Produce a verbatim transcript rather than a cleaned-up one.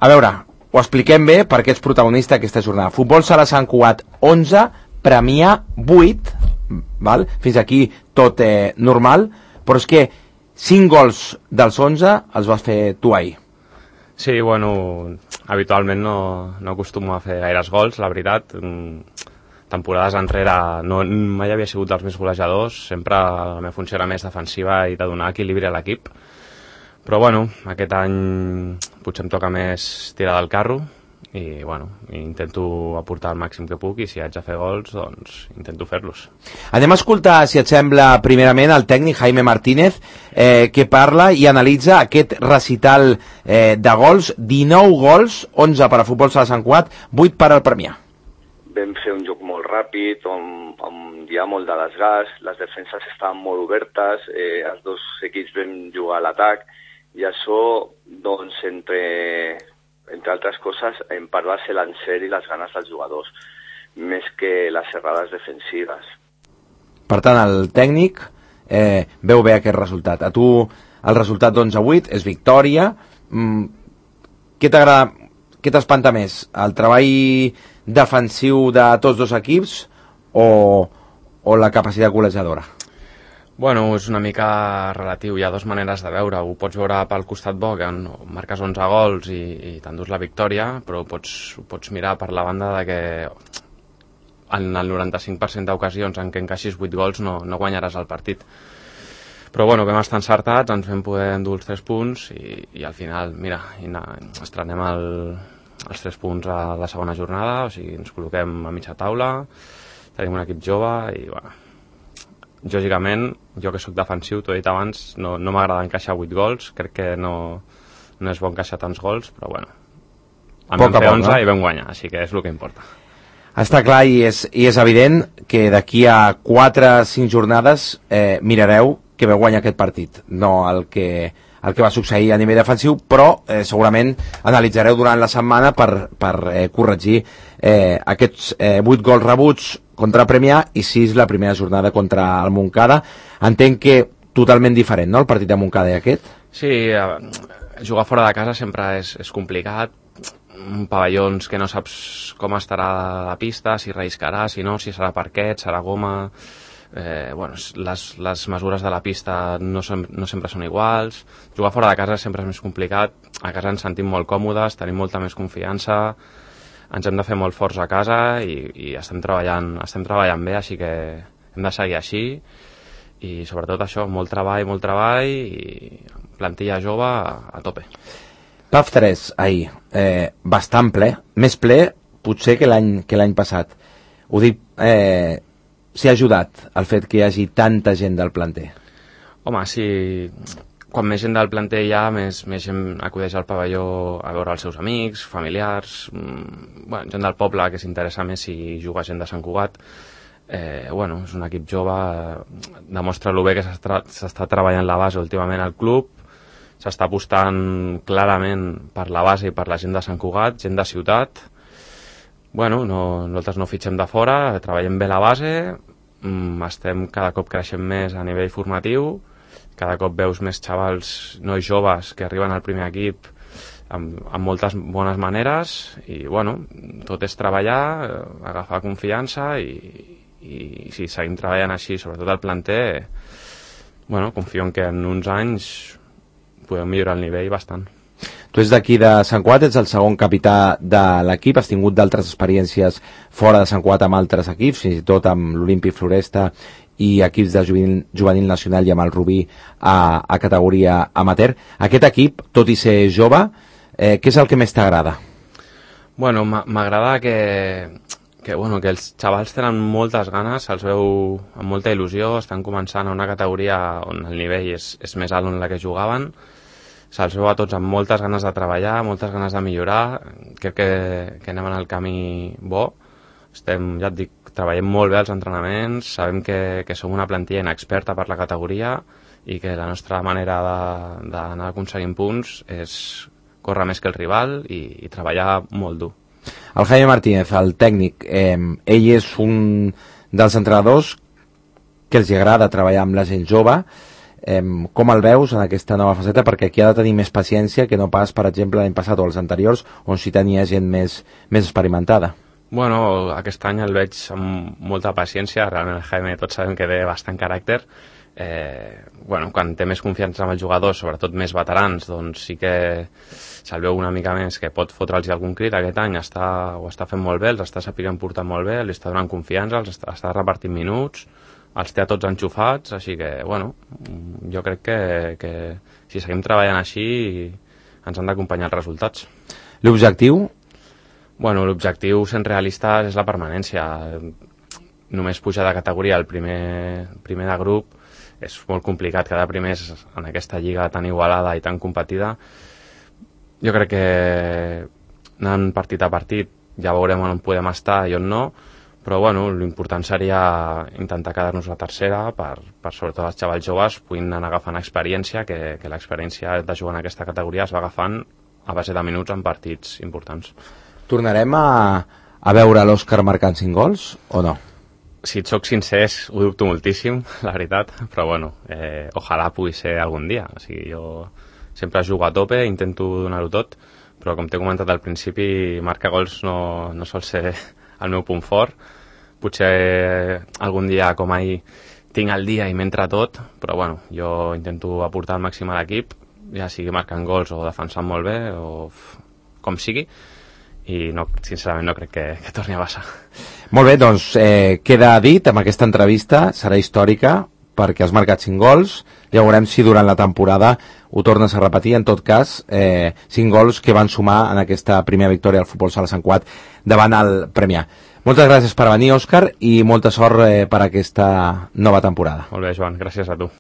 A veure, ho expliquem bé perquè ets protagonista d'aquesta jornada. Futbol Sala Sant Cugat onze, Premià vuit, val? Fins aquí tot eh, normal, però és que cinc gols dels onze els vas fer tu ahir. Sí, bueno, habitualment no, no acostumo a fer gaires gols, la veritat. Temporades enrere no, mai havia sigut dels més golejadors, sempre la meva funció era més defensiva i de donar equilibri a l'equip. Però bueno, aquest any potser em toca més tirar del carro i bueno, intento aportar el màxim que puc i si haig de fer gols, doncs intento fer-los. Anem a escoltar, si et sembla, primerament el tècnic Jaime Martínez, eh, que parla i analitza aquest recital eh, de gols, dinou gols, onze per a Futbol Sala Sant Cugat, vuit per al Premià. Vam fer un joc molt ràpid, on, on hi ha molt de desgast, les defenses estaven molt obertes, eh, els dos equips vam jugar a l'atac, i això, doncs, entre... entre altres coses, en part va ser l'encert i les ganes dels jugadors, més que les errades defensives. Per tant, el tècnic eh, veu bé aquest resultat. A tu el resultat d'onze a vuit és victòria. Mm, què t'agrada, què t'espanta més? El treball defensiu de tots dos equips o, o la capacitat golejadora? Bueno, és una mica relatiu, hi ha dues maneres de veure, ho pots veure pel costat bo, que marques onze gols i, i t'endús la victòria, però ho pots, ho pots mirar per la banda de que en el noranta-cinc per cent d'ocasions en què encaixis vuit gols no, no guanyaràs el partit. Però bueno, vam estar encertats, ens vam poder endur els tres punts i, i al final, mira, estrenem el, els tres punts a la segona jornada, o sigui, ens col·loquem a mitja taula, tenim un equip jove i bueno, lògicament, jo que sóc defensiu, t'ho he dit abans, no, no m'agrada encaixar vuit gols, crec que no, no és bo encaixar tants gols, però bueno, en vam fer onze i vam guanyar, així que és el que importa. Està clar i és, i és evident que d'aquí a quatre o cinc jornades eh, mirareu que veu guanyar aquest partit, no el que, el que va succeir a nivell defensiu, però eh, segurament analitzareu durant la setmana per, per eh, corregir eh, aquests eh, vuit gols rebuts contra Premià i sis la primera jornada contra el Montcada. Entenc que totalment diferent, no?, el partit de Montcada i aquest? Sí, jugar fora de casa sempre és, és complicat, pavellons que no saps com estarà la pista, si relliscarà, si no, si serà parquet, serà goma... Eh, bueno, les, les mesures de la pista no, sem no sempre són iguals, jugar fora de casa sempre és més complicat, a casa ens sentim molt còmodes, tenim molta més confiança, ens hem de fer molt forts a casa i, i estem treballant, estem treballant bé, així que hem de seguir així i sobretot això, molt treball, molt treball i plantilla jove a, a tope. P A F tres ahir, eh, bastant ple, més ple potser que l'any que l'any passat. Ho dic, eh, s'hi ha ajudat el fet que hi hagi tanta gent del planter? Home, sí, quan més gent del planter hi ha, més, més gent acudeix al pavelló a veure els seus amics, familiars, mmm, bueno, gent del poble que s'interessa més si juga gent de Sant Cugat. Eh, bueno, és un equip jove, eh, demostra lo bé que s'està treballant la base últimament al club, s'està apostant clarament per la base i per la gent de Sant Cugat, gent de ciutat. Bueno, no, nosaltres no fitxem de fora, treballem bé la base, mmm, estem cada cop creixent més a nivell formatiu, cada cop veus més xavals, nois joves que arriben al primer equip amb, amb moltes bones maneres i bueno, tot és treballar, agafar confiança i, i si seguim treballant així, sobretot el planter, bueno, confio en que en uns anys podem millorar el nivell bastant. Tu ets d'aquí de Sant Cugat, ets el segon capità de l'equip, has tingut d'altres experiències fora de Sant Cugat amb altres equips, fins i tot amb l'Olímpic Floresta i equips de juvenil, juvenil nacional i amb el Rubí a, a categoria amateur. Aquest equip, tot i ser jove, eh, què és el que més t'agrada? Bueno, m'agrada que, que, bueno, que els xavals tenen moltes ganes, se'ls veu amb molta il·lusió, estan començant a una categoria on el nivell és, és més alt en la que jugaven, se'ls veu a tots amb moltes ganes de treballar, moltes ganes de millorar, crec que, que anem en el camí bo, estem, ja et dic, treballem molt bé els entrenaments, sabem que, que som una plantilla inexperta per la categoria i que la nostra manera d'anar aconseguint punts és córrer més que el rival i, i treballar molt dur. El Jaime Martínez, el tècnic, eh, ell és un dels entrenadors que els agrada treballar amb la gent jove. eh, com el veus en aquesta nova faceta, perquè aquí ha de tenir més paciència que no pas, per exemple, l'any passat o els anteriors, on sí tenia gent més, més experimentada. Bueno, aquest any el veig amb molta paciència, realment el Jaime tots sabem que té bastant caràcter. Eh, bueno, quan té més confiança amb els jugadors, sobretot més veterans, doncs sí que se'l veu una mica més que pot fotre'ls algun crit. Aquest any està, ho està fent molt bé, els està sapiguent portar molt bé, li està donant confiança, els està, està repartint minuts, els té a tots enxufats, així que, bueno, jo crec que, que si seguim treballant així ens han d'acompanyar els resultats. L'objectiu? Bueno, l'objectiu, sent realistes, és la permanència. Només pujar de categoria al primer, primer de grup és molt complicat, quedar primers en aquesta lliga tan igualada i tan competida. Jo crec que anant partit a partit ja veurem on podem estar i on no, però bueno, l'important seria intentar quedar-nos la tercera per, per sobretot els xavals joves puguin anar agafant experiència, que, que l'experiència de jugar en aquesta categoria es va agafant a base de minuts en partits importants. Tornarem a, a veure l'Òscar marcant cinc gols o no? Si et soc sincer, ho dubto moltíssim, la veritat, però bueno, eh, ojalà pugui ser algun dia. O sigui, jo sempre jugo a tope, intento donar-ho tot, però com t'he comentat al principi, marcar gols no, no sol ser el meu punt fort. Potser algun dia, com ahir, tinc el dia i m'entra tot, però bueno, jo intento aportar el màxim a l'equip, ja sigui marcant gols o defensant molt bé, o com sigui, i no, sincerament no crec que, que torni a passar. Molt bé, doncs eh, queda dit amb aquesta entrevista, serà històrica perquè has marcat cinc gols, ja veurem si durant la temporada ho tornes a repetir. En tot cas, eh, cinc gols que van sumar en aquesta primera victòria al Futbol Sala Sant Cugat davant el Premià. Moltes gràcies per venir, Òscar, i molta sort eh, per aquesta nova temporada. Molt bé, Joan, gràcies a tu.